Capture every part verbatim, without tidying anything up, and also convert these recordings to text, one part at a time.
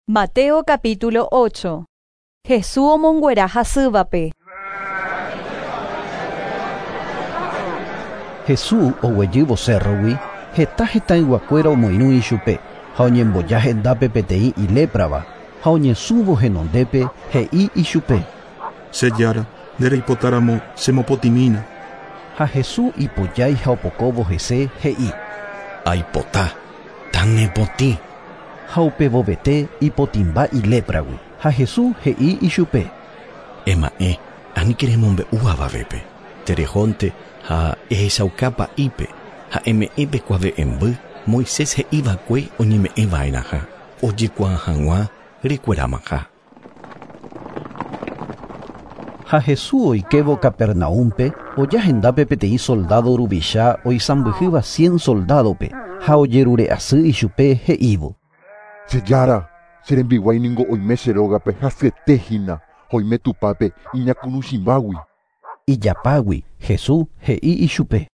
Mateo capítulo ocho. Jesús omonguera hasývape. Jesús oguejývo cérrogui heta hetãyguakuéra omoirũ ichupe ha oñemboja hendápe peteĩ iléprava ha oñesũvo henondépe he'i ichupe. Che Jára, ndereipotáramo chemopotĩmína. Ha Jesús ipojái ha opokóvo hese he'i. Aipota, tanepotĩ. Ha upevovete ipotĩmba ilépragui. Ha Jesús he'i ichupe. Ema'ẽ, aníke remombe'u avavépe. Terejónte ha ehechaukápa ipe ha eme'ẽpe kuave'ẽmby Moisés he'iva'ekue oñeme'ẽva'erãha ojekuaa hag̃ua rekuerámaha. Ha Jesús oikévo Capernaúmpe oja hendápe peteĩ soldado ruvicha oisãmbyhýva cien soldadope ha ojerure'asy ichupe he'ívo. Che Jára, che rembiguái ningo oime che rógape hasyete hína oime tupápe iñakunuchimbágui. Ijapágui Jesús he'i ichupe.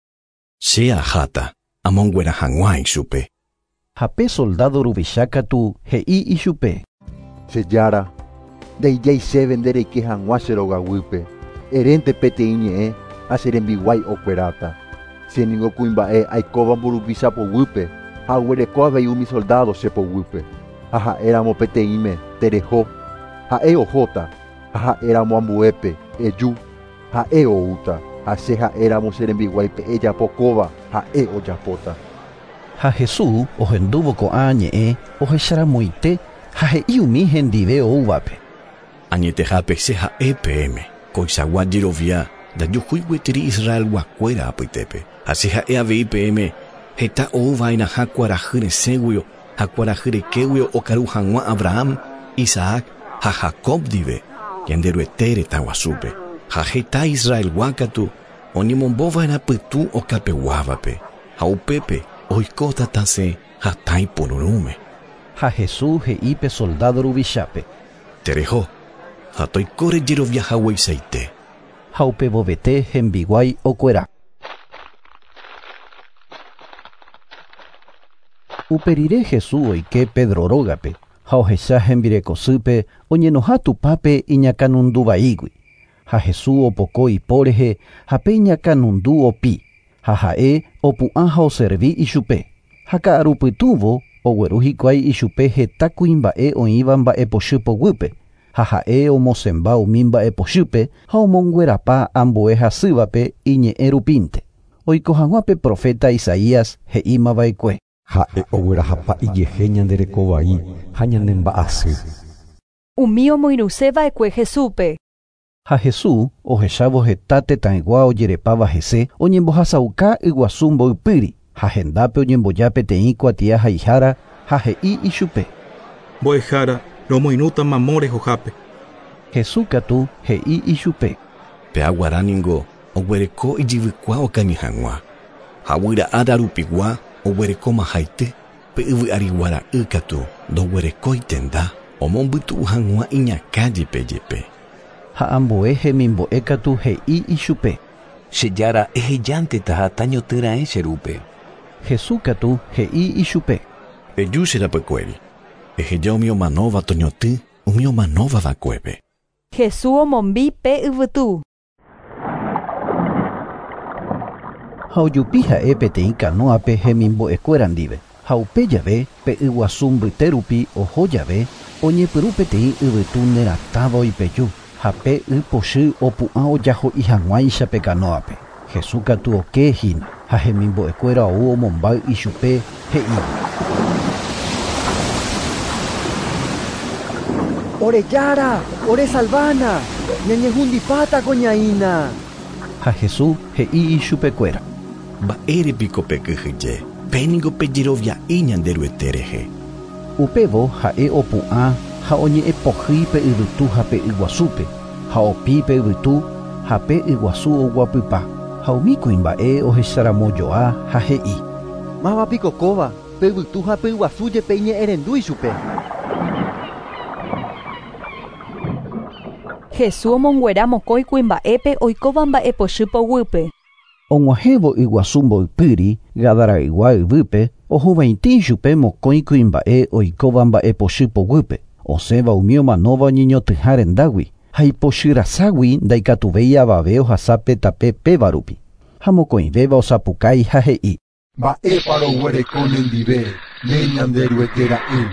Che aháta amonguera hag̃ua ichupe. Ha pe soldado ruvicha katu he'i ichupe. Che Jára, ndeijái chéve ndereike hag̃ua che rogaguýpe. Erénte peteĩ ñe'ẽ ha che rembiguái okueráta. Che ningo kuimba'e aikóva mburuvicha poguýpe ha aguereko avei umi soldado che poguýpe. Ha ha'éramo peteĩme tereho, ha'e ohóta, ha ha'éramo ambuépe eju, ha'e oúta, ha che ha'éramo che rembiguáipe ejapokóva, ha'e ojapóta. Ha Jesús ohendúvo ko'ã ñe'ẽ ohecharamoite ha he'i umi hendive oúvape. Añetehápe che ha'e peẽme koichagua jerovia ndajuhúi gueteri Israelguakuéra apytépe. Ha che ha'e avei peẽme heta ouva'erãha kuarahy resẽguio ha kuarahy rekéguio okaru hag̃ua Abraham, Isaac ha Jacob ndive Ñanderuete retã guasúpe. Ha heta Israelgua katu oñemombova'erã pytũ okapeguávape ha upépe oikóta tasẽ hatã ipururũme. Ha Jesús he'i pe soldado ruvichápe. Tereho, ha toikóre jeroviahagueichaite. Ha upevovete hembiguái okuera. Uperire Jesús oike Pedro rógape ha ohecha hembirekosýpe oñenoha tupápe iñakãnunduvaígui. Ha Jesús opoko ipo rehe ha pe iñakãnundu opi ha ha'e opu'ã ha oservi ichupe. Ha ka'arupytũvo ogueru hikuái ichupe heta kuimba'e oĩva mba'epochy poguýpe ha ha'e omosẽmba umi mba'epochýpe ha omonguerapa ambue hasývape iñe'ẽ rupínte. Oiko hag̃ua pe profeta Isaías he'ímava'ekue. Ha'e oguerahapa ijehe ñanderekovai ha ñanemba'asy. Umi omoirũseva'ekue Jesúspe. Ha Jesús ohechávo heta tetãygua ojerepáva hese oñembohasauka yguasu mboypýri ha hendápe oñemboja peteĩ kuatia haihára ha he'i ichupe. Mbo'ehára, romoirũta mamo rehohápe. Jesús katu he'i ichupe. Pe aguara ningo oguereko ijyvykua okañy hag̃ua. Ha guyra'a rupigua oguerekóma haity pe yvy'ariguara'y katu ndoguerekói tenda omombytu'u hag̃ua iñakã jepe jepe. Ha ambue hemimbo'e katu he'i ichupe. Che Jára, ehejánteta ha tañotỹraẽ che rúpe. Jesús katu he'i ichupe. Eju che rapykuéri. Eheja umi omanóva toñotỹ umi omanóvava'ekuépe. Jesús omombi pe yvytu. Ha ojupi ha'e peteĩ kanóape hemimbo'ekuéra ndive. Ha upe jave pe yguasu mbyte rupi oho jave oñepyrũ peteĩ yvytu neratãva oipeju ha pe y pochy opu'ã ojaho'i hag̃uáicha pe kanóape. Jesús katu okehína ha hemimbo'ekuéra ou omombáy ichupe he'ívo. Ore Jára, ore salvána, ñañehundipáta ko ñaína. Ha Jesús he'i ichupekuéra. Mba'érepiko pekyhyje, péningo pejerovia'i Ñanderuete rehe. Upévo ha'e opu'ã ha oñe'ẽpohýi pe yvytu ha pe yguasúpe ha opi pe yvytu ha pe yguasu oguapypa ha umi kuimba'e ohecharamojoa ha he'i. Mávapiko kóva, pe yvytu ha pe yguasu jepe iñe'ẽrendu ichupe. Jesús omonguera mokõi kuimba'épe oikóva mba'epochy poguýpe. Og̃uahẽvo yguasu mboypýri Gadaraygua yvýpe ohuvaitĩ ichupe mokõi kuimba'e oikóva mba'epochy poguýpe. Osẽva umi omanóva oñeñotỹha rendágui ha ipochyrasagui ndaikatuvéi avave ohasápe tape péva rupi. Ha mokõivéva osapukái ha he'i. Mba'épa roguereko nendive ne Ñanderuete ra'y.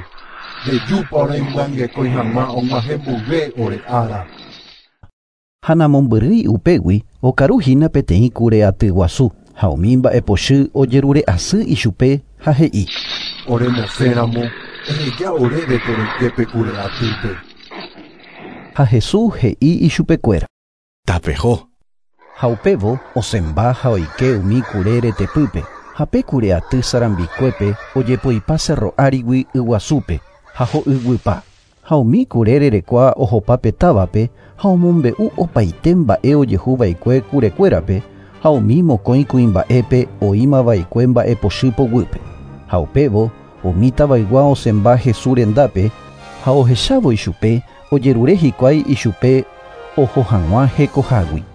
Rejúpa oremyangekói hag̃ua og̃uahẽmboyve ore ára. Ha namombyrýi upégui okaruhína peteĩ kure aty guasu ha umi mba'epochy ojerure'asy ichupe ha he'i. Oremosẽramo eheja oréve toroiképe kure atýpe. Ha Jesús he'i ichupekuéra. Tapeho. Ha upévo osẽmba ha oike umi kure retepýpe ha pe kure aty sarambikuépe ojepoipa cerro árigui yguasúpe ha ho'yguypa. Ha umi kure rerekua ohopa pe távape ha omombe'u opaite mba'e ojehuva'ekue kurekuérape ha umi mokõi kuimba'épe oĩmava'ekue mba'epochy poguýpe. Ha upévo umi tavaygua osẽmba Jesús rendápe ha ohechávo ichupe ojerure hikuái ichupe oho hag̃ua hekohágui.